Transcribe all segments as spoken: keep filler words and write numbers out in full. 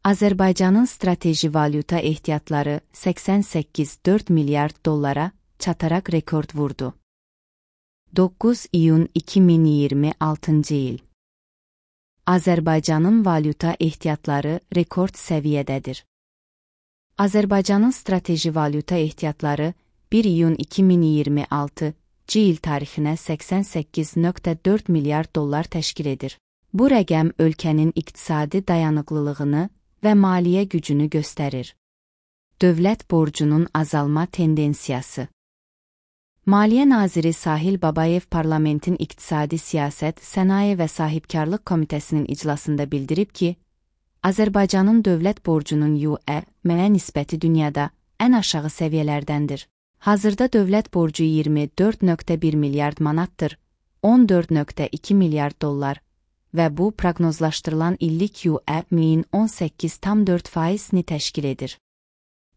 Azərbaycanın strateji valyuta ehtiyatları səksən səkkiz nöqtə dörd milyard dollara çataraq rekord vurdu. doqquz iyun iki min iyirmi altıncı il. Azərbaycanın valyuta ehtiyatları rekord səviyyədədir. Azərbaycanın strateji valyuta ehtiyatları bir iyun iki min iyirmi altıncı il tarixinə səksən səkkiz nöqtə dörd milyard dollar təşkil edir. Bu rəqəm ölkənin iqtisadi dayanıqlılığını və maliyyə gücünü göstərir. Dövlət borcunun azalma tendensiyası. Maliyyə naziri Sahil Babayev Parlamentin İqtisadi Siyasət, Sənaye və Sahibkarlıq Komitəsinin iclasında bildirib ki, Azərbaycanın dövlət borcunun Y E M-ə nisbəti dünyada ən aşağı səviyyələrdəndir. Hazırda dövlət borcu iyirmi dörd nöqtə bir milyard manatdır, on dörd nöqtə iki milyard dollar və bu proqnozlaşdırılan illik Y E M-in on səkkiz nöqtə dörd faizini təşkil edir.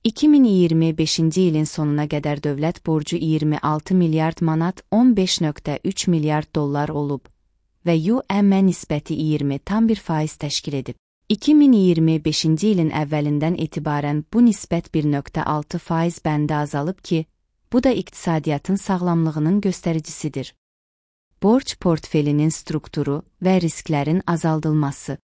iki min iyirmi beşinci ilin sonuna qədər dövlət borcu iyirmi altı milyard manat on beş nöqtə üç milyard dollar olub və Y E M-ə nisbəti iyirmi nöqtə bir faiz təşkil edib. iki min iyirmi beşinci ilin əvvəlindən etibarən bu nisbət bir nöqtə altı faiz bəndə azalıb ki, bu da iqtisadiyyatın sağlamlığının göstəricisidir. Borc portfelinin strukturu və risklərin azaldılması.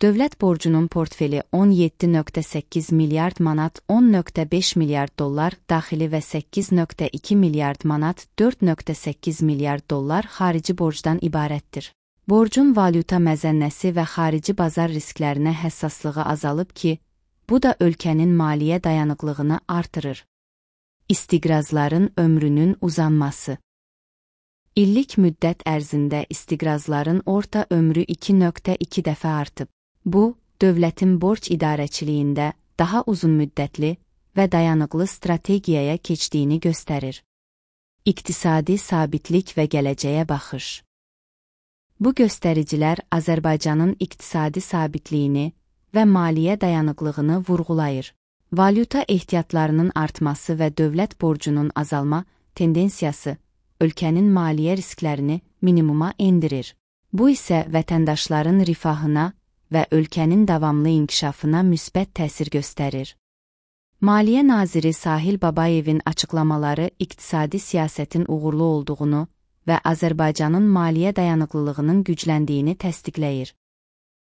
Dövlət borcunun portfeli on yeddi nöqtə səkkiz milyard manat on nöqtə beş milyard dollar daxili və səkkiz nöqtə iki milyard manat dörd nöqtə səkkiz milyard dollar xarici borcdan ibarətdir. Borcun valyuta məzənnəsi və xarici bazar risklərinə həssaslığı azalıb ki, bu da ölkənin maliyyə dayanıqlığını artırır. İstiqrazların ömrünün uzanması. İllik müddət ərzində istiqrazların orta ömrü iki nöqtə iki dəfə artıb. Bu, dövlətin borc idarəçiliyində daha uzun müddətli və dayanıqlı strategiyaya keçdiyini göstərir. İqtisadi sabitlik və gələcəyə baxış. Bu göstəricilər Azərbaycanın iqtisadi sabitliyini və maliyyə dayanıqlığını vurğulayır. Valyuta ehtiyatlarının artması və dövlət borcunun azalma tendensiyası ölkənin maliyyə risklərini minimuma endirir. Bu isə vətəndaşların rifahına və ölkənin davamlı inkişafına müsbət təsir göstərir. Maliyyə naziri Sahil Babayevin açıqlamaları iqtisadi siyasətin uğurlu olduğunu və Azərbaycanın maliyyə dayanıqlılığının gücləndiyini təsdiqləyir.